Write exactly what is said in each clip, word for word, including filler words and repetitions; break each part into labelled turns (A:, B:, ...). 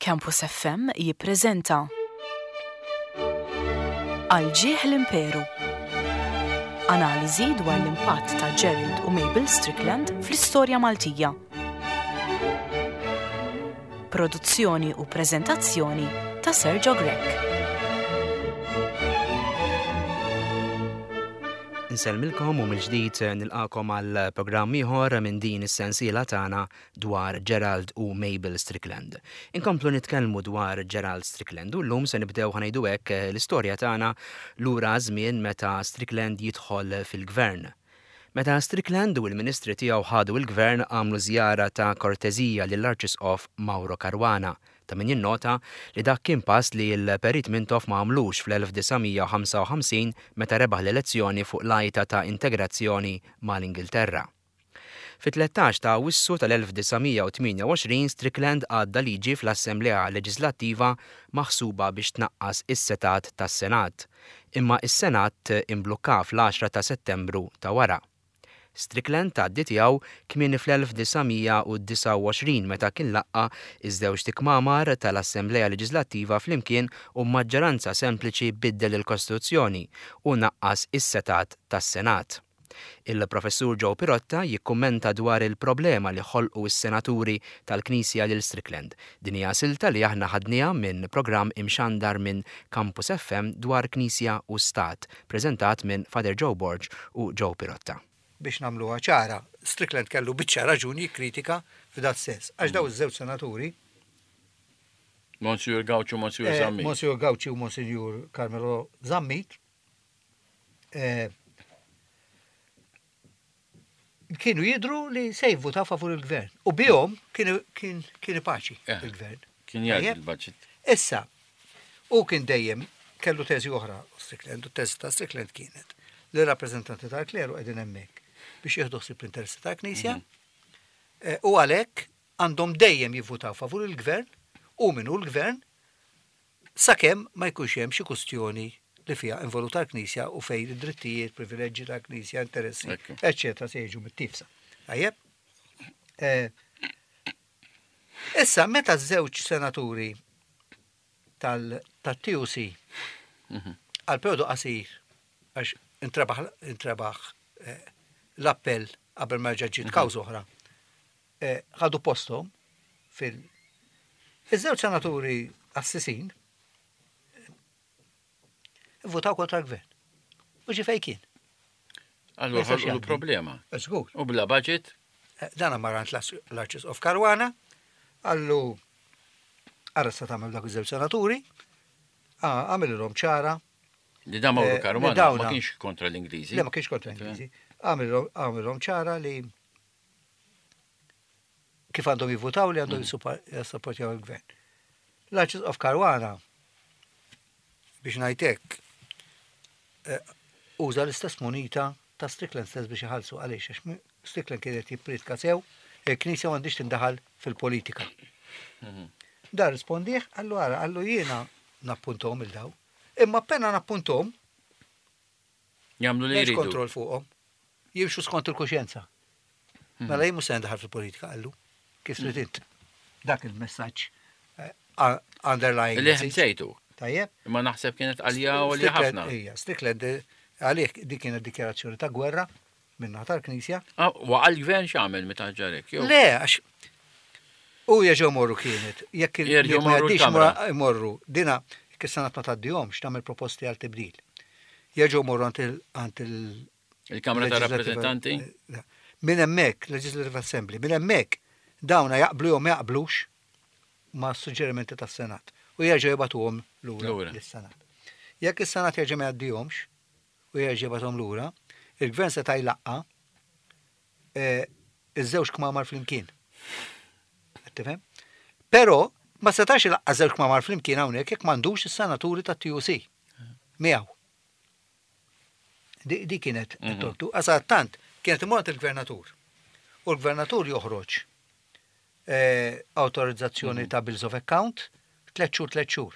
A: Campus F M jippreżenta Għal Ġieħ l-Imperu. Analiżi dwar l-impatt ta' Gerald u Mabel Strickland fl-istorja Maltija. Produzzjoni u preżentazzjoni ta' Sergio Grech.
B: Insellmilkom u mill-ġdid nilqakom għal programm ieħor minn din is-sensiela tagħna dwar Gerald u Mabel Strickland. Inkomplu nitkellmu dwar Gerald Strickland u llum se nibdew, ħa ngħidu hekk, l-istorja tagħna lura żmien meta Strickland jidħol fil-gvern. Meta Strickland u l-ministri tiegħu ħadu l-gvern, għamlu żjara ta' kortezija lill-Arċisqof Mauro Caruana. Ta' min jinnota li dak kien pass li l-Perit Mintoff ma għamlux fl-elf disa' mija u ħamsa u ħamsin meta rebaħ l-elezzjoni fuq l-għajta ta' integrazzjoni mal-Ingilterra. Fit-tlettax ta' Awwissu tal-elf disa' mija u tmienja u għoxrin Strickland għadda liġi fl-Assemblea Leġislattiva maħsuba biex tnaqqas is-setgħat tas-Senat. Imma is-Senat imblukka fl-għaxra ta' Settembru ta' wara. Strickland tgħaddi tiegħu kmieni fl-elf disa' mija u disgħa u għoxrin meta kien laqqa' iż-żewġ kmamar tal-Assemblea Leġislattiva flimkien u maġġoranza sempliċi biddel il-Kostituzzjoni u naqqas is-setgħat tas-Senat. Il-professur Joe Pirotta jikkummenta dwar il-problema li ħolqu s-senaturi tal-Knisja lil Strickland. Din hija silta li aħna ħadniha minn programm imxandar minn Campus F M dwar Knisja u Stat, preżentat minn Father Joe Borg u Joe Pirotta.
C: Biex nagħmluha ċara, Strickland kellu biċċa raġuni jikkritika f'dat sens. Għax daw iż-żewġ senaturi,
D: Monsieur Gauci u Monsieur
C: eh,
D: Zammit.
C: Monsieur Gauci u Monsignor Carmelo Zammit, eh, kienu jidru li se jivvutaw favur il-gvern. U bihom kien kien kien paċi
D: Eh,
C: il-gvern.
D: Kien jgħid
C: Tajjeb?
D: il-budget.
C: Issa, u kien dejjem kellu teżi oħra Strickland, u teżi ta' Strickland kienet li rappreżentanti tal-kleru qegħdin hemmhekk biex jieħdu ħsieb l-interessi tal-Knisja eh, u għalhekk għandhom dejjem jivvutaw favur il-gvern u minnu l-gvern sakemm ma jkunx hemm xi kustjoni li fiha involuta l-Knisja u fejn id-drittijiet, privileġġi tal-Knisja, interessi,
D: Ekku.
C: eccetera, se jiġu mittiefsa. Tajjeb? Eh, Issa, meta żewġ senaturi tal-T U C għal periodu qasir, għax intrebaħ intrebaħ eh, l-appell qabel ma ġiet kawża oħra, eh, ħadu postom fil- Iż-żewġ senaturi assisin eh, votaw kontra l-gvern. U ġi fej kien.
D: Allura
C: Ma jistax
D: ħolqu
C: jgħaddi.
D: problema.
C: Żgur.
D: U bla budget,
C: Dana mar għand l-Arċisqof Caruana, qallu ara sa tagħmel dak iż-żewġ senaturi, għamilhom ċara,
D: li da Mauro
C: Eh,
D: Caruana
C: li dawna-
D: ma kienx kontra l-Ingliżi.
C: Le, ma kienx kontra Ingliżi, għamilhom ċara li kif għandhom jivvutaw, li għandhom jissapportjaw il-gvern. L-Arċisqof Caruana, biex ngħidlek, eh, uża l-istess munita ta' Strickland stess biex iħallsu. Għaliex? Għax mi- Strickland kienet jippritka sew, il-Knisja m'għandix tindaħal fil-politika. Da rispondih, qallu ara, qallu jiena nappuntom il-daw. Imma appena nappuntom,
D: Jagħmlu li
C: m'hemmx
D: jridu.
C: kontroll fuqhom. Jimxu skont il-kuxjenza. Mela jien mhux se ndaħal fil-politika, qallu. Kif trid int. Dak il-messaġġ eh, underlying
D: Li
C: message.
D: ħbsejtu.
C: Tajjeb?
D: Imma naħseb kienet għalja u għalja
C: Strickland-
D: ħafna.
C: Ija, Strickland eh, għalih dik kienet dikjarazzjoni ta' gwerra minna tal-Knisja.
D: Ah, waqa' l-gvern, x'għamel meta ġarek? Jew-
C: Le, għax u jerġgħu morru kienet. Jekk il-
D: Jerġgħu
C: jekk ma
D: morru
C: jgħaddix
D: l-Kamra.
C: mora- imorru. Dina, jekk is-Senat ma tgħaddihomx, tagħmel proposti għal tibdil. Jerġgħu morru għand il- għand il-
D: Il-Kamra ta'
C: Legislative-
D: Rappresentanti?
C: eh, Minn hemmhekk, Legislative Assembly, minn hemmhekk dawna jaqblu jew ma jaqblux ma' suġġerimenti tas-Senat u jerġgħu jibagħtuhom lura
D: Lura.
C: lis-Senat. Jekk is-Senat jerġa' ma jgħaddihomx u jerġa' jibgħathom lura, il-gvern seta' jlaqqa' eh, iż-żewġ kmamar flimkien. Qed tifhem? Però ma setax ilaqqa' żewġ kmamar flimkien hawnhekk jekk m'għandux is-senaturi tat-T U C miegħu. Di, di kienet
D: Mhm.
C: it-tortu. Għax tant kienet imur il-gvernatur. U l-gvernatur joħroġ eh, autorizzazzjoni ta' bills of account tliet xhur, tliet xhur.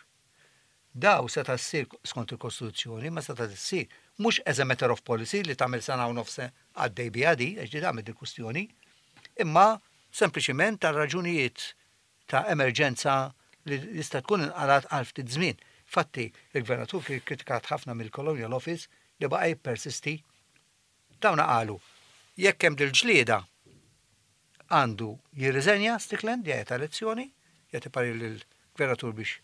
C: Daw seta' ssir skont il-Kostituzzjoni, ma seta' ssir mhux as a matter of policy li tagħmel sena u nofs għaddej biha di, għax di tagħmel il-kustjoni, imma sempliċiment tal raġunijiet ta' emerġenza. li jista' tkun inqalat għal ftit żmien. Fatti, il-gvernatur kien kritikat ħafna mill-Colonial Office li baqa' jippersisti. Dawna qalu, jekk hemm dil-ġlieda għandu jirriżenja Strickland, jgħid elezzjoni, jagħti parir lill-gvernatur biex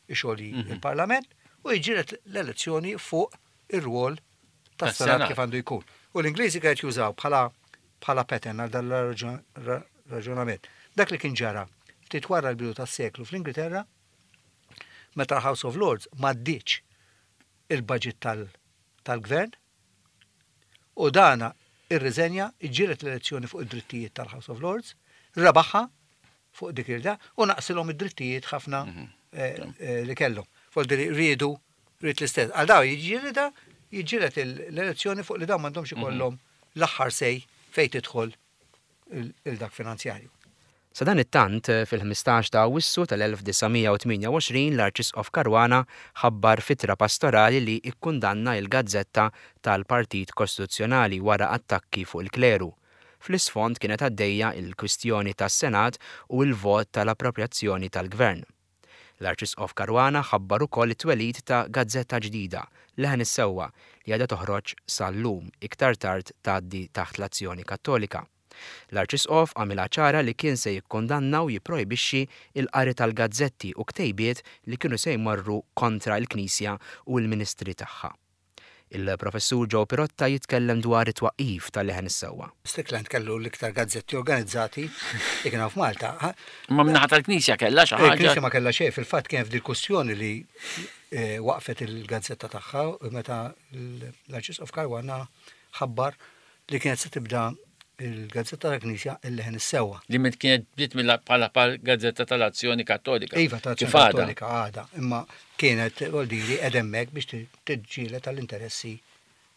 C: ixolji
D: Mhm.
C: il-Parlament u jiġġieled l-elezzjoni fuq ir-rwol tas-Senat
D: Tas-Senat.
C: kif għandu jkun. U l-Ingliżi kienet jużaw bħala bħala pattern għal dan raġunament. Dak li kien ġara ftit wara l-bidu tas-seklu fl-Ingilterra, meta l-House of Lords m'għaddietx il-budget tal- tal-gvern u dana irriżenja, iġġieled l-elezzjoni fuq id-drittijiet tal-House of Lords, rebaħha fuq dik il u naqsilhom id-drittijiet ħafna eh, eh, li kellhom. Fuq li riedu rrid l-istess. Għal daw jiġġielida jiġġieled l-elezzjoni fuq li dawn m'għandhomx ikollhom l-aħħar say fejn tidħol il-dak finanzjarju.
B: Sadanittant, fil-ħmistax ta' Awwissu tal-elf disa' mija u tmienja u għoxrin l-Arċisqof Caruana ħabbar f'ittra pastorali li ikkundanna il-gazzetta tal-Partit Kostituzzjonali wara attakki fuq il-kleru. Fl-isfond kienet għaddejja il-kwistjoni tas-Senat u il-vot tal-appropriazzjoni tal-Gvern. L-Arċisqof Caruana ħabbar ukoll it-twelid ta' gazzetta ġdida, Leħen is-Sewwa, li għadha toħroġ sal-lum, iktar tard tgħaddi taħt l-Azzjoni Kattolika. L-Arċisqof għamilha ċara li kien se jikkondanna u jipprojbixxi il-qari tal-gazzetti u ktejbiet li kienu se jmorru kontra l-Knisja u l-Ministri tagħha. Il-professur Joe Pirotta jitkellem dwar it-twaqqif tal-Leħen is-Sewwa.
C: Strickland kellu l-iktar gazzetti organizzati li kienu f'Malta.
D: Ma min-naħa tal-Knisja kellha xi ħaġa.
C: Il-Knisja ma kellha xejn, fil-fatt kien f'dil kwistjoni li eh, waqfet il-gazzetta tagħha meta l-Arċisqof Caruana ħabbar li kienet se tibda il-gazzetta tal-Knisja, il-Leħen is-Sewwa.
D: Li minn kienet bdiet bħala gazzetta tal-Azzjoni Kattolika.
C: Iva, tal-Azzjoni
D: Kif għadha?
C: Kattolika għada, imma kienet vuoldiri edemmek biex tiġġieled tal-interessi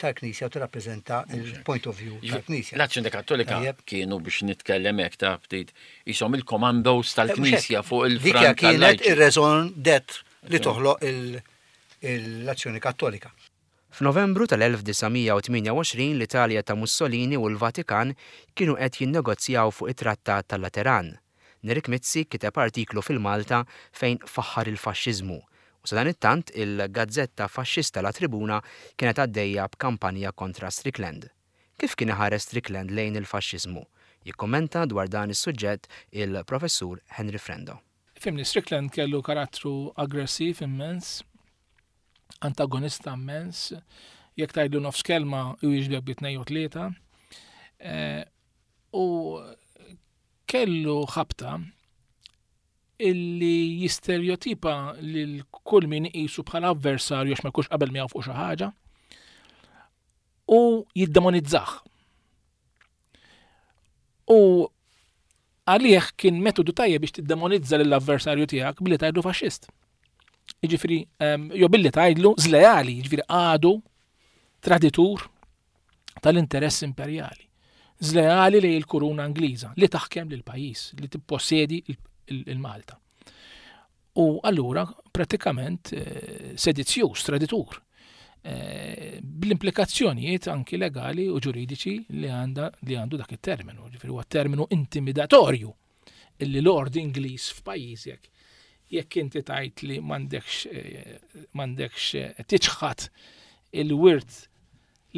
C: tal-Knisja u tirrappreżenta il-point of view tal-Knisja.
D: L-Azzjoni Kattolika
C: Tajjeb.
D: kienu, biex nitkellem hekk ta' ftit, jisom il-komandos tal-Knisja fuq
C: Dik
D: il-front
C: kienet
D: tal-lajċi.
C: ir-raison d'être li toħloq il- l-Azzjoni Kattolika.
B: F'Novembru tal-elf disa' mija u tmienja u għoxrin l-Italja ta' Mussolini u l-Vatikan kienu qed jinnegozjaw fuq it-Trattat tal-Lateran. Nerik Mizzi kiteb artiklu fil-Malta fejn faħħar il-faxxiżmu. U sadanittant il-gazzetta faxxista La Tribuna kienet għaddejja b'kampanja kontra Strickland. Kif kien iħares Strickland lejn il-faxxiżmu? Jikkommenta dwar dan is-suġġett il-professur Henry Frendo.
E: Fimni, Strickland kellu karattru aggressiv immens, antagonista immens, jekk tgħidlu nofs kelma u jiġbek bi tnejn u tlieta. Eh, U kellu ħabta illi jistereotipa lil kull min iqisu bħala avversarju għax ma jkunx qabel miegħu fuq xi ħaġa u jiddemonizzah. U għalih kien metodu tajjeb biex tiddemonizza lill-avversarju tiegħek billi tgħidlu faxxist. Jiġifieri, em, jew billi tgħidlu żleali, jiġifieri għadu traditur tal-interess imperjali. Żleali lejn il-kuruna Ingliża li taħkem lil pajjiż, li tippossedi il-Malta. U allura pratikament eh, sedizzjuż, traditur. Eh, bl-implikazzjonijiet anki legali u ġuridiċi li għanda li għandu dak it-terminu, ġifieri huwa terminu intimidatorju illi Lord Ingliż f'pajjiżek, jekk inti tajt li m'għandekx eh, m'għandekx eh, tiċħat il-wirt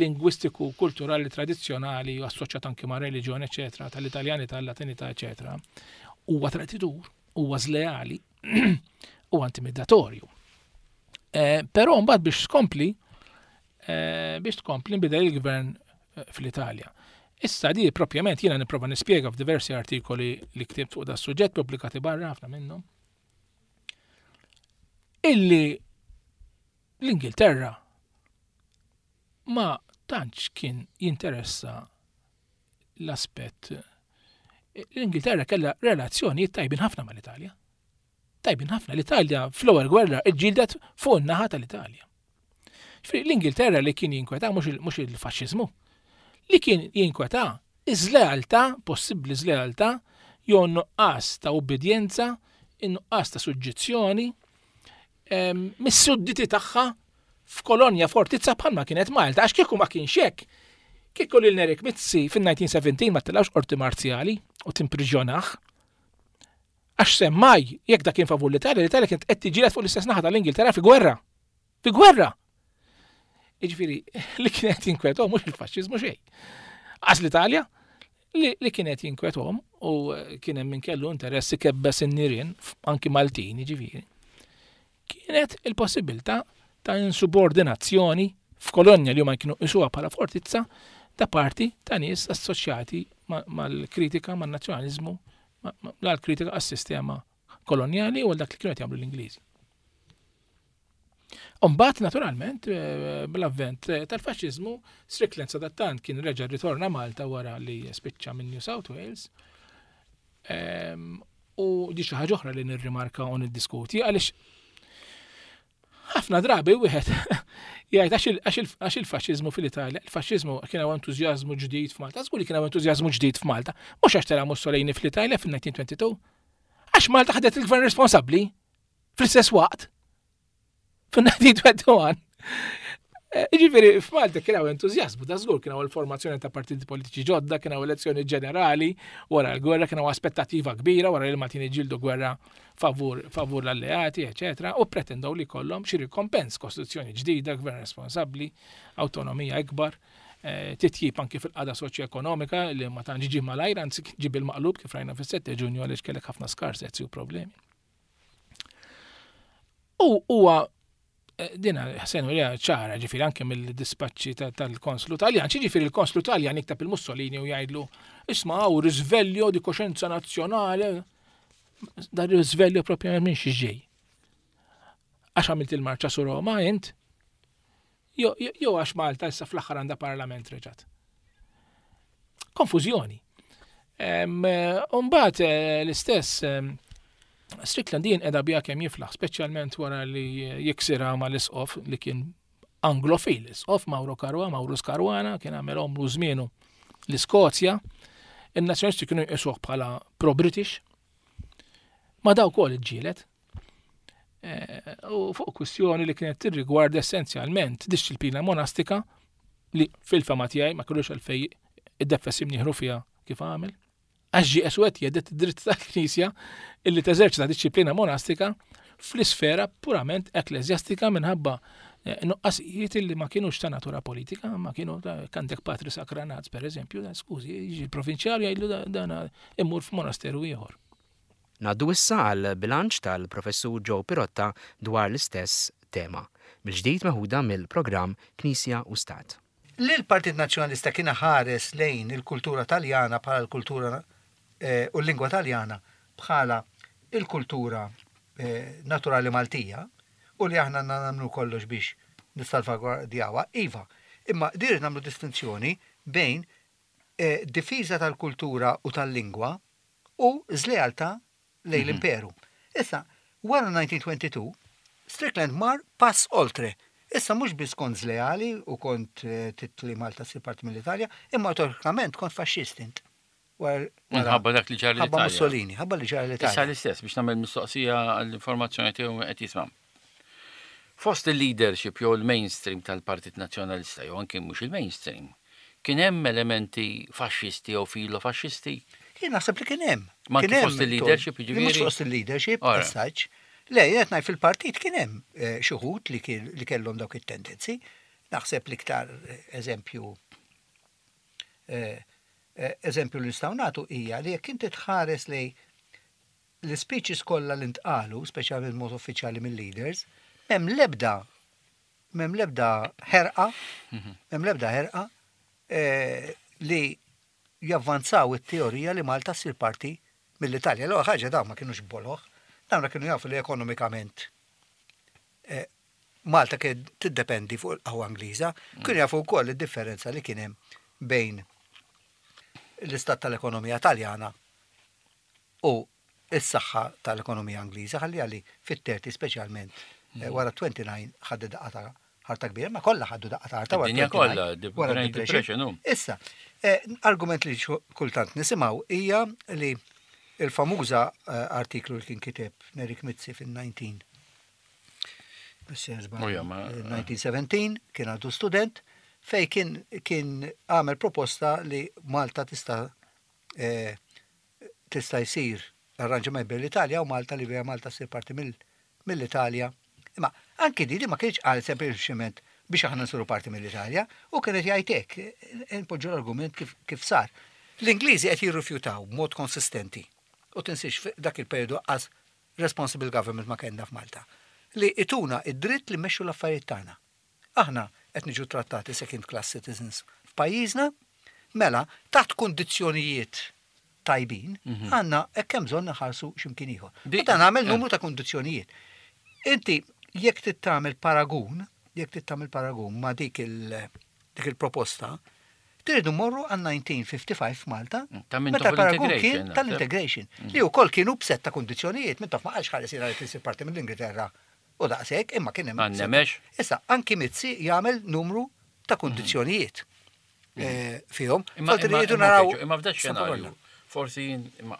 E: lingwistiku, kulturali, tradizzjonali u assoċjat anki ma' reliġjon, eċetera, tal-Italjani, tal-Latinità, eċetera, huwa traditur, huwa żleali, huwa intimidatorju. Eh, Però mbagħad biex tkompli, eh, biex tkompli nbidel il-gvern eh, fl-Italja. Issa di propjament jiena nipprova nispjega f'diversi artikoli li ktibt fuq da suġġett, pubblikati barra ħafna minnhom, illi l-Ingilterra ma tantx kien jinteressa l-aspett. L-Ingilterra kellha relazzjonijiet tajbin ħafna mal-Italja. Tajbin ħafna. L-Italja fl-ewwel gwerra ġġieldet fuq in-naħa tal-Italja. Ġifieri l-Ingilterra li kien jinkweta mhux il- mhux il-faxxiżmu. Li kien jinkweta iż-żlealtà, possibbli żlealtà, jew nuqqas ta' ubbidjenza, in-nuqqas ta' suġġizzjoni em, mis-sudditi tagħha f'kolonja fortizza bħalma kienet Malta, għax kieku ma kienx hekk. Kieku lil Nerik Mizzi fin-elf disa' mija u sbatax ma tellgħux qorti marzjali u timpriġjonah. Għax semmaj, jekk dak kien favur l-Italja, l-Italja kienet qed tiġġieled fuq l-istess naħa tal-Ingilterra fi gwerra. Fi gwerra. Jiġifieri, li kienet jinkwetahom mhux il-faxxiżmu xejn. Għax l-Italja li, li kienet jinkwetahom u kien hemm min kellu interess ikebbes in-nirien, anki Maltin, jiġifieri. Kienet il-possibilità ta' insubordinazzjoni f'kolonja li huma kienu jqisuha bħala fortizza da parti ta' nies assoċjati mal-kritika, man-nazzjonaliżmu, l-kritika għas-sistema kolonjali u għal dak li kienu qed jagħmlu l-Ingliżi. Umbagħad, naturalment, bl-avvent tal-faxxiżmu, Strickland sadattant kien reġa' ritorna Malta wara li spiċċa minn New South Wales. U di xi ħaġa oħra li nirrimarka u niddiskuti, għaliex ħafna drabi wieħed jgħid għax il-faxxiżmu fil-Italja, il-faxxiżmu kien hawn entużjażmu ġdid f'Malta, żgur li kien hawn entużjażmu ġdid f'Malta, mhux għax tela' Mussolini fl-Italja fil-elf disa' mija u tnejn u għoxrin, għax Malta ħadet il-gvern responsabbli fl-istess waqt fil-elf disa' mija u wieħed u għoxrin. Jiġifieri, f'Malta kien hawn entużjażmu, da żgur kien hawn il-formazzjoni ta' partiti politiċi ġodda, kien hawn elezzjoni ġenerali, wara l-gwerra kien hawn aspettattiva kbira wara li l-Maltin iġġieldu gwerra favur, favur l-alleati, eċetera, u pretendew li kollhom xi rikompens, kostituzzjoni ġdida, gvern responsabbli, awtonomija ikbar, eh, titjib anki fil-qagħda soċjo-ekonomika li ma tantx ġie malajr, anzi ġie bil-maqlub kif rajna fis-sette Ġunju, għaliex kellek ħafna skarsezzi u problemi. U huwa eh, dina ħsen u ċara, ġifieri, anke mill-dispaċċi tal-konslu Taljan, ġifieri il-konslu Taljan jikteb lil Mussolini u jgħidlu: "Isma', hawn risveglio di coscienza nazionale." Da risveglio proprio minn xi ġej? Għax għamilt il-marċa su Roma, int? Jo għax Malta issa fl-aħħar għandha parlament reġat. Konfużjoni. Umbagħad eh, l-istess Strickland din qeda biha kemm jiflaħ, speċjalment wara li jiksira ma l-isqof li kien anglofil, isqof Mauro Caruana, Maurus Caruana, kien għamel omru żmienu l-Iskozja, il-nazzjonisti kienu jqisuh bħala pro-British, ma daw kol iġġielet. Eh, u fuq kwistjoni li kienet tirrigwarda essenzjalment disċiplina monastika li fil-fehma tiegħi ma kellux għalfej id-deffes imnieħru fiha kif għamel. Għax ġie eswet jhedded id-dritt tal-Knisja illi teżerċita disċiplina monastika fl-isfera purament ekklesjastika minħabba eh, nuqqasijiet illi ma kienux ta' natura politika, ma kienu għandek patri sakranaz, per eżempju, skużi, jiġi l-provinċjal jgħidlu dana immur f'monasteru ieħor.
B: Ngħaddu issa għal bilanċ tal-professur Joe Pirotta dwar l-istess tema, mill-ġdid meħuda mill-programm Knisja u Stat.
C: Li l-Partit Nazzjonalista kien ħares lejn il-kultura Taljana bħala l-kultura eh, u l-lingwa Taljana bħala il-kultura eh, naturali Maltija u li aħna nagħmlu kollox biex nissalvagwardjawha, iva. Imma dir nagħmlu distinzjoni bejn eh, difiża tal-kultura u tal-lingwa u żlealtà lejn mhm. l-imperu. Issa, wara elf disa' mija u tnejn u għoxrin, Strickland mar pass oltre. Issa mhux biss kont zleali u kont trid li Malta ssir parti mill-Italja, imma teoretikament kont faxxist int.
D: Minħabba dak li ġara
C: l-Italja. Ħabba Mussolini, ħabba li ġara l-Italja.
D: Issa l-istess biex nagħmel mistoqsija għall-informazzjoni tiegħu qed jisma'. Fost il-leadership jew il-mainstream tal-Partit Nazzjonalista, jew anke mhux il-mainstream, kien hemm elementi faxxisti jew filo-faxxisti?
C: Jien naħseb li kien hemm.
D: Ma kien fost il-leadership,
C: jiġifieri? Mhux fost il-leadership, as such. Le, jien qed ngħid fil-partit kien hemm eh, xi wħud li kellhom dawk it-tendenzi. Naħseb l-iktar eh, eżempju eh, eżempju li nistgħu nagħtu hija li jekk inti tħares li l-speeches kollha li ntqalu, speċjalment mod uffiċjali mill-leaders, m'hemm lebda m'hemm lebda ħerqa, mhm. m'hemm lebda ħerqa li javvanzaw it-teorija li Malta ssir parti mill-Italja. L-ewwel ħaġa, dawn ma kienux boloh, dawn kienu jafu li ekonomikament eh, Malta kien tiddependi fuq il-qawwa Ingliża, kienu jafu wkoll id-differenza li kien hemm bejn l-istat tal-ekonomija Taljana u s-saħħa tal-ekonomija Ingliża, ħalli għalli fit-thirty speċjalment eh, wara twenty-nine ħaddu daqqa ta' ħarta kbira, ma kollha ħaddu daqqa ta' ħarta
D: wara kollha, wara Depression.
C: Issa, eh, argument li kultant nisimgħu hija li il-famuża eh, artiklu li kien kiteb Nerik Mizzi fil-nineteen elf disa' mija u sbatax kien għadu student, fej kien kien għamel proposta li Malta tista' eh, tista' jsir Arranġament bejn l-Italja u Malta li bija Malta ssir parti mill-Italja. Imma anki di ma kienx qal sempliċement biex aħna nsiru parti mill-Italja u kienet jgħid hekk, npoġġu l-argument kif, kif sar. L-Ingliżi qed jirrifjutaw b'mod konsistenti. U tinsiex, dak il-periodu għax responsible government ma kellna f'Malta. Li ituna id-dritt li mmexxu l-affarijiet tagħna. Aħna qed niġu trattati second class citizens f'pajjiżna, mela taħt kundizzjonijiet tajbin, mhm. għandna hekk hemm bżonn naħarsu x'imkien ieħor. U dan għamel numru ta' kundizzjonijiet. Inti jekk trid tagħmel paragun, jekk trid tagħmel paragun ma' dik il dik il-proposta, tridu morru għal elf disa' mija u ħamsa u ħamsin f'Malta,
D: mm,
C: meta l-paragun kien tal-integration, mm. li wkoll kienu b'sett ta' kundizzjonijiet. Minn ma qalx ħares li tisir parti mill-Ingilterra u daqshekk, imma kien
D: hemm.
C: Issa, anki Mizzi jagħmel numru ta' kundizzjonijiet mm. eh, fihom.
D: Imma naraw. Imma f'da xenarju, forsi imma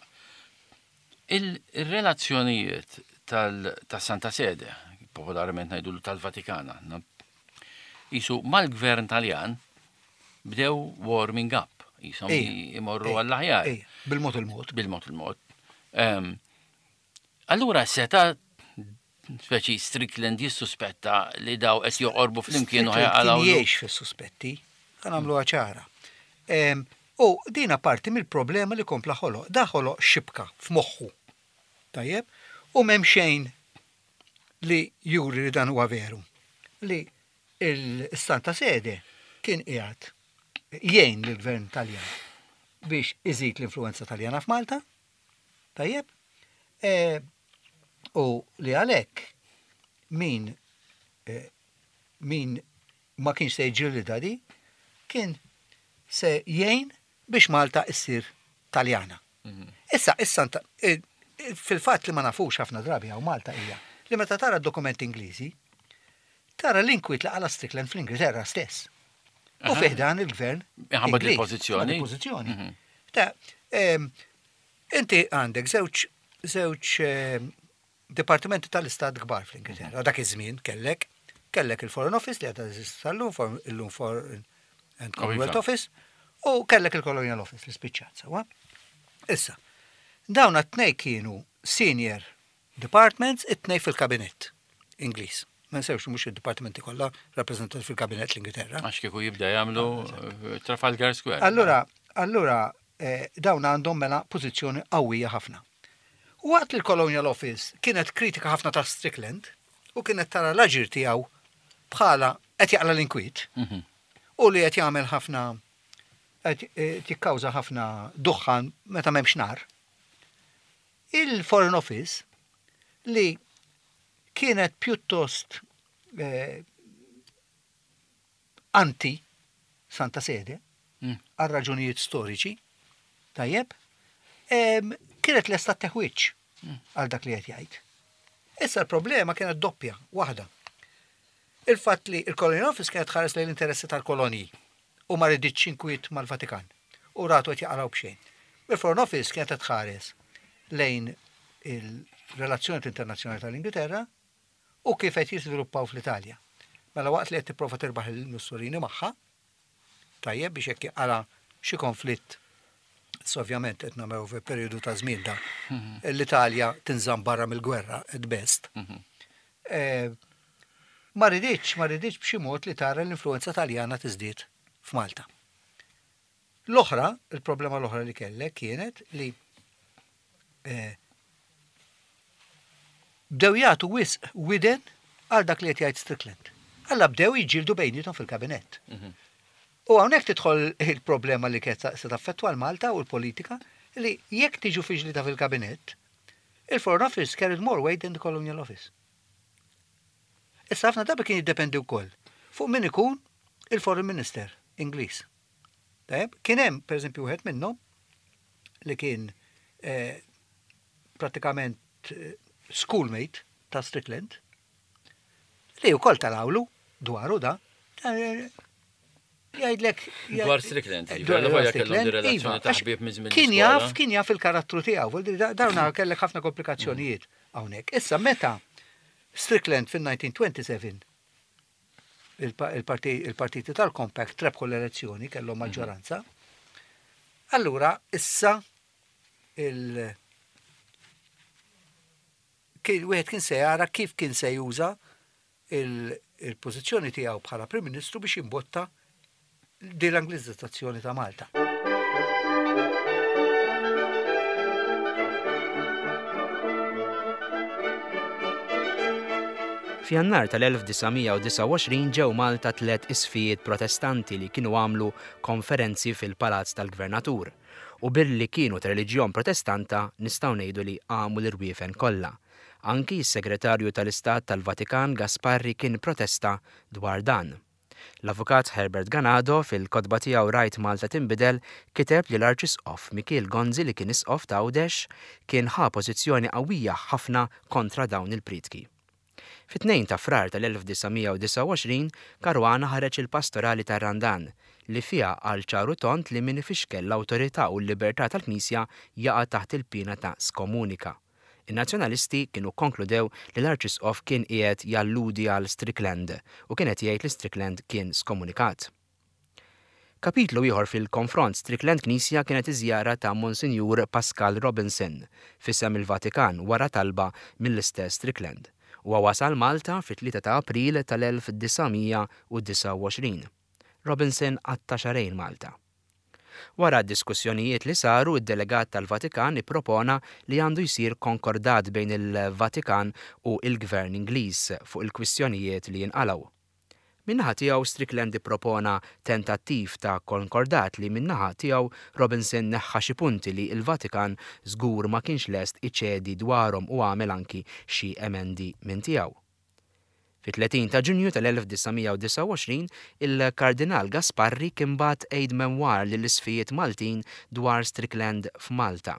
D: il-relazzjonijiet tal-Santa Sede, popolarment ngħidu tal-Vatikana, jisu mal-gvern Taljan bdew warming up, jisom imorru għall-aħjar.
C: Bil-mod il-mod.
D: Bil-mod il-mod. Allura seta speċi Strickland jissuspetta li daw qed joqorbu flimkien
C: u ħajqalgħu. Jgħix fis-suspetti, ħa nagħmlu ċara. U dina parti mill-problema li kompla ħoloq. Da ħoloq xibka f'moħħu. Tajjeb? U m'hemm xejn li juri li dan huwa veru. Li il-Santa Sede kien qiegħed jgħin lill-gvern Taljan biex iżid l-influenza Taljana f'Malta. Tajjeb? E, u li għalhekk min e, min ma kienx se jġilida di, kien se jgħin biex Malta issir Taljana. Mhm. Issa, issa, e, fil-fatt li ma nafux ħafna drabi għaw Malta hija li meta tara dokumenti Ingliżi, tara l-inkwiet li qala Strickland fl-Ingilterra stess. U fih dan il-gvern.
D: Ħabba il-pożizzjoni.
C: Pożizzjoni. Mhm. Ta' inti għandek żewġ żewġ dipartimenti tal-istat kbar fl-Ingilterra. Dak iż-żmien kellek kellek il-Foreign Office li għadha teżisti sal-lum, illum Foreign and Commonwealth Office, u kellek il-Colonial Office li spiċċat sewwa. Issa, dawn it-tnej kienu senior departments, it-tnej fil-kabinett Ingliż. Ma nsewx, mhux id-dipartimenti kollha rappreżentati fil-kabinett l-Ingilterra.
D: Għax kieku jibda jagħmlu eh, Trafalgar Square.
C: Allura, allura eh, dawn għandhom mela pożizzjoni qawwija ħafna. Waqt li l-Colonial Office kienet kritika ħafna ta' Strickland u kienet tara l-aġir tiegħu bħala qed jaqla l-inkwiet mhm. u li qed jagħmel ħafna, qed eh, jikkawża ħafna duħħan meta m'hemmx nar. Il-Foreign Office, li kienet pjuttost eh, anti Santa Sede mm. għal raġunijiet storiċi, tajjeb, kienet lesta teħwiċ mm. għal dak li qed jgħid. Issa l-problema kienet doppja, waħda. Il-fatt li il-Colonial Office kienet ħares lejn l-interessi tal-kolonji u ma riditx inkwiet mal-Vatikan u ratu qed jaqalgħu b'xejn. Il-Foreign Office kienet tħares lejn il-relazzjoni internazzjonali tal-Ingilterra u kif qed jiżviluppaw fl-Italja. Mela waqt li qed tipprova tirbaħ il-Mussolini magħha, tajjeb, biex jekk jaqala xi konflitt, ovvjament qed nagħmlu fi perjodu ta' żmien da, l-Italja tinżamm barra mill-gwerra at best. Eh, Ma riditx, ma riditx b'xi mod li tara l-influenza Taljana tiżdied f'Malta. L-oħra, il-problema l-oħra li kellek kienet li eh, bdew jagħtu wisq widen għal dak li qed jgħid Strickland. Alla bdew jiġġieldu bejniethom fil-kabinett. U hawnhekk tidħol il-problema li kienet se taffettwa l-Malta u l-politika, li jekk tiġu fi ġlieda fil-kabinett, il-Foreign Office carried more weight than the Colonial Office. Issa ħafna drabi kien jiddependi wkoll fuq min ikun il-Foreign Minister Ingliż. Tajjeb, kien hemm pereżempju wieħed minnhom li kien eh, pratikament eh, schoolmate ta' Strickland li wkoll talawlu dwaru da. Eh, Jgħidlek.
D: Dwar Strickland,
C: Dwar
D: ġifieri, kellhom
C: Strickland,
D: di relazzjoni
C: iva,
D: ta'
C: għax
D: ħbieb minn żmien
C: Kien
D: l-iskola.
C: jaf, kien jaf il-karattru tiegħu, vuol dire, da- dawna kellek ħafna komplikazzjonijiet hawnhekk. Issa meta Strickland fil-elf disa' mija u disgħa u għoxrin il-pa- il-parti- il-partiti tal-Compact rebħu l-elezzjoni, kellhom maġġoranza, allura issa il- Wieħed kien se jara kif kien se juża il-pożizzjoni tiegħu bħala Prim Ministru biex jimbotta din l-Anglizzazzjoni ta' Malta.
B: F'Jannar tal-elf disa' mija u disgħa u għoxrin ġew Malta tliet isfijiet protestanti li kienu għamlu konferenzi fil-Palazz tal-Gvernatur u billi kienu ta' reliġjon protestanta nistgħu ngħidu li għamu l-irwiefen kollha. Anki s-Segretarju tal-Istat tal-Vatikan Gasparri kien protesta dwar dan. L-Avukat Herbert Ganado fil-kotba tiegħu Rajt Malta Tinbidel kiteb li l-Arċisqof Mikiel Gonzi li kien isqof ta' Għawdex kien ħa pożizzjoni qawwija ħafna kontra dawn il-prietki. Fit-tnejn ta' Frar tal-elf disa' mija u disgħa u għoxrin, Caruana ħareġ il-pastorali tar-Randan li fiha għal ċaru tont li min ifixkel l-awtorità u l-libertà tal-Knisja jaqa' taħt il-pina ta' skomunika. In-nazzjonalisti kienu konkludew li l-Arċisqof kien qiegħed jalludi għal Strickland u kien qed jgħid li Strickland kien skomunikat. Kapitlu ieħor fil-konfront Strickland Knisja kienet iż-żjara ta' Monsinjur Pascal Robinson f'isem il-Vatikan wara talba mill-istess Strickland. Huwa wasal Malta fit-tlieta ta' April tal-elf disa' mija u disgħa u għoxrin. Robinson qatta' xahrejn Malta. Wara diskussjonijiet li saru, id-delegat tal-Vatikan ippropona li għandu jsir konkordat bejn il-Vatikan u il-Gvern Ingliż fuq il-kwistjonijiet li jinqalgħu. Min-naħa tiegħu Strickland ippropona tentattiv ta' konkordat li min-naħa tiegħu Robinson neħħa xi punti li l-Vatikan żgur ma kienx lest iċedi dwarhom u għamel anki xi emendi minn tiegħu. Fit-tletin ta' Ġunju tal-elf disa' mija u disgħa u għoxrin, il-Kardinal Gasparri kien bagħat aide memoir lill-isfijiet Maltin dwar Strickland f'Malta.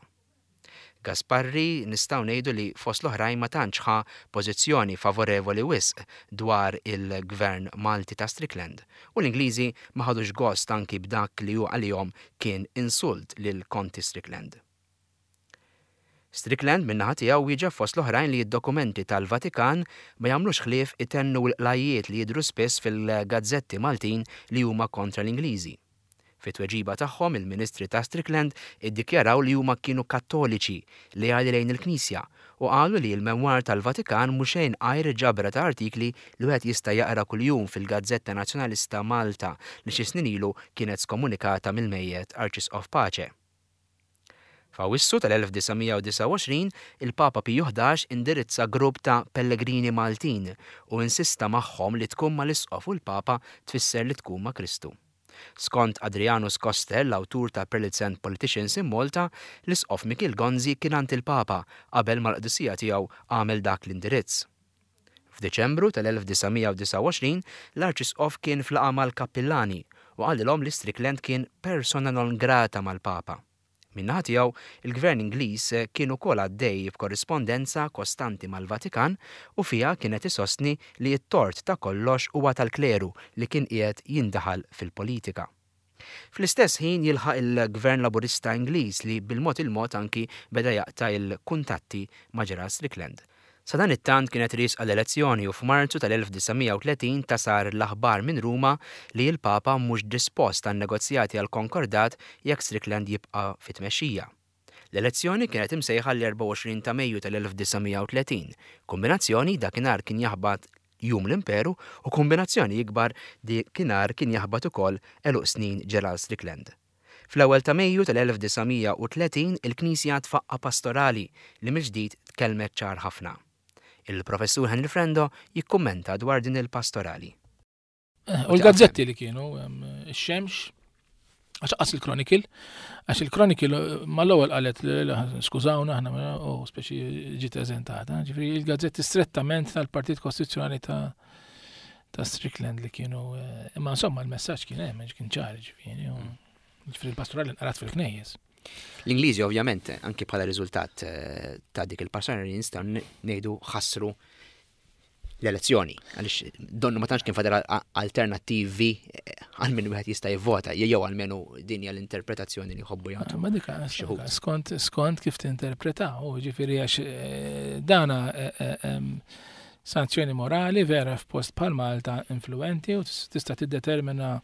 B: Gasparri nistgħu ngħidu li fost l-oħrajn ma tantx ħa pożizzjoni favorevoli wisq dwar il-gvern Malti ta' Strickland u l-Ingliżi ma ħadux gost anki b'dak li hu għalihom kien insult lil Konti Strickland. Strickland min-naħa tiegħu wieġeb fost l-oħrajn li d-dokumenti tal-Vatikan ma jagħmlux ħlief itennu l-qlajjiet li jidhru spiss fil-gazzetti Maltin li huma kontra l-Ingliżi. Fit-tweġiba tagħhom il-Ministri ta' Strickland iddikjaraw li huma kienu kattoliċi leali lejn il-Knisja u qalu li l-memwar tal-Vatikan mhux xejn għajr ġabra ta' artikli li wieħed jista' jaqra kuljum fil-Gazzetta Nazzjonalista Malta li xi snin ilu kienet skomunikata mill-mejjet Arċisqof Pace. F'Awwissu tal-elf disa' mija u disgħa u għoxrin, il-Papa Piju ħdax indirizza grupp ta' pellegrini Maltin u insista magħhom li tkun mal-Isqof u l-Papa tfisser li tkun ma' Kristu. Skont Adrianus Koster, l-awtur ta' Prelates and Politicians in Malta, l-Isqof Mikiel Gonzi kien għand il-Papa qabel mal-qdusija tiegħu għamel dak l-indirizz. F'Diċembru tal-elf disa' mija u disgħa u għoxrin, l-Arċisqof kien flaqa mal-kappillani u qalilhom li Strickland kien persona non grata mal-Papa. Min-naħa tiegħu, il-Gvern Ingliż kien ukoll għaddej b'korrispondenza kostanti mal-Vatikan u fiha kienet isostni li t-tort ta' kollox huwa tal-kleru li kien qiegħed jindaħal fil-politika. Fl-istess ħin jilħaq il-Gvern Laburista Ingliż li bil-mod il-mod anki beda jaqta' il-kuntatti ma' Gerald Strickland. Sa dan it-tant kienet riesqa l-elezzjoni u f'Marzu tal-elf disa' mija u tletin tasar l-aħbar minn Ruma li l-Papa mhux dispost għan negozjati għal konkordat jekk Strickland jibqa' fit-tmexxija. L-elezzjoni kienet imsejħa l-erbgħa u għoxrin ta' Mejju tal-elf disa' mija u tletin. Kombinazzjoni dakinhar kien jaħbat jum l-imperu u kombinazzjoni ikbar dakinhar kien jaħbat ukoll għeluq snin Gerald Strickland. Fl-ewwel ta' Mejju tal-elf disa' mija u tletin il-Knisja tfaqqa pastorali li mill-ġdid tkellmet ċar ħafna. Il-professur Henry Frendo jikkummenta dwar din il-pastorali.
E: Eh, u l-gazzetti li kienu, em, ix-Xemx, għax qas il-Chronicle, għax il-Chronicle mal-ewwel qalet li, li, skużawna aħna, u speċi ġiet eżentata, ġifieri il-gazzetti strettament tal-Partit Kostituzzjonali ta', ta' Strickland li kienu, eh, imma insomma l-messaġġ kien hemm, kien ċar, ġifieri, u ġifieri l-pastorali nqarat fil-knejjes.
B: L-Ingliżi ovvjament anki bħala riżultat, eh, ta' dik il-pastorali nistgħu n-, ngħidu ħassru l-elezzjoni, għaliex donnu ma tantx kien fadal a-, alternattivi, eh, għal min wieħed jista' jivvota, jew għalmenu din hija l-interpretazzjoni li jħobbu jagħtu.
E: Ma dik
B: xi wħud.
E: skont, skont kif tinterpreta, u ġifieri għax, eh, dana, eh, eh, em, sanzjoni morali vera f'post bħal Malta influenti u tis-, tista' tiddetermina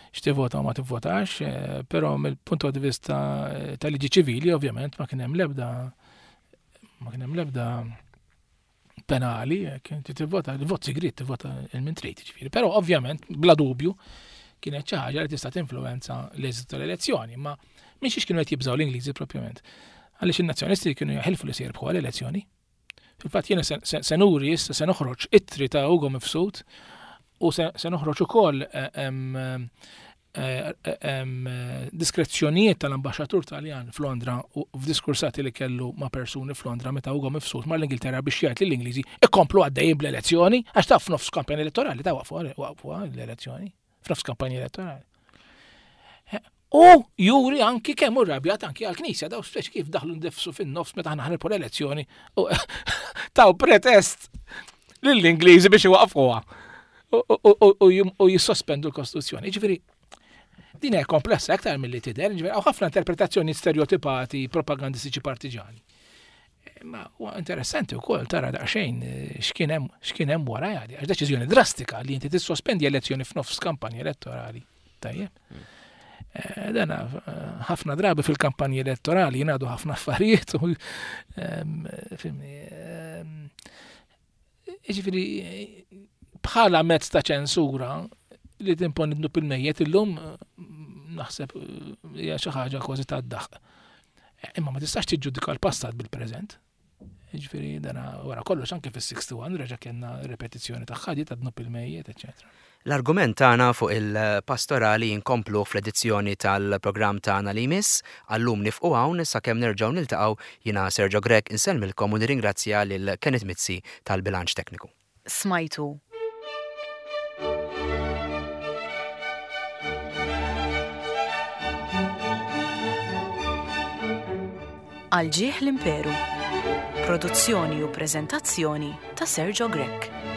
E: x'tivvota u ma tivvotax, eh, però mill-punt di vista, eh, tal-liġi ċivili ovvjament ma kien hemm l-ebda, ma kien hemm l-ebda penali, inti tivvota, il-vot sigriet tivvota il-min trid, ġifieri. Però ovvjament, bla dubju, kienet xi ħaġa li tista' tinfluwenza l-eżitu tal-elezzjoni, ma minn xiex kienu qed jibżgħu l-Ingliżi propjament. Għaliex in-nazzjonisti kienu jaħilfu li se jirbħu l-elezzjoni. Fil-fatt jiena se nuri issa se noħroġ ittri ta' Ugo Mifsud u se noħroġ ukoll diskrezzjonijiet tal-ambaxxatur Taljan f'Londra u f'diskursati li kellu ma' persuni f'Londra meta Ugo Mifsud mar l-Ingilterra biex jgħid lill-Ingliżi ikomplu għaddejjin bl-elezzjoni għax taf f'nofs kampanja elettorali ta' waqfu waqfu l-elezzjoni f'nofs kampanja elettorali. U juri anki kemm hu rrabjat anki għall-Knisja daw speċi kif daħlu ndefsu fin-nofs meta aħna ħanirpu l-elezzjoni u taw pretest lill-Ingliżi biex iwaqfuha u jissospendu l-Kostituzzjoni. Ġifieri din hija komplessa aktar milli tidher, ġifieri hawn ħafna interpretazzjoni stereotipati propagandistiċi partiġani. Ma huwa interessanti wkoll tara daqsxejn x'kien hemm x'kien hemm wara għadi, għax deċiżjoni drastika li inti tissospendi elezzjoni f'nofs kampanja elettorali. Tajjeb. Dana ħafna drabi fil-kampanji elettorali jingħadu ħafna affarijiet u ġifieri bħala mezz ta' ċensura li timponi dnub il-mejjet illum naħseb hija xi ħaġa kważi tad-daħq. Imma ma tistax tiġġudika l-passat bil-preżent. Ġifieri dana wara kollox anke fis-sixty one reġa' kellna ripetizzjoni ta' ħadi ta' dnub il-mejjet, eċetera.
B: L-argument tagħna fuq il-pastorali jinkomplu fl-edizzjoni tal-programm tagħna li jmiss, għallum nifqu hawn sakemm nerġgħu niltaqgħu jiena Sergio Grech insellmilkom u nirringrazzja lil Kenneth Mizzi tal-bilanċ tekniku.
A: Smajtu Għal ġieħ l-Imperu. Produzzjoni u preżentazzjoni ta' Sergio Grech.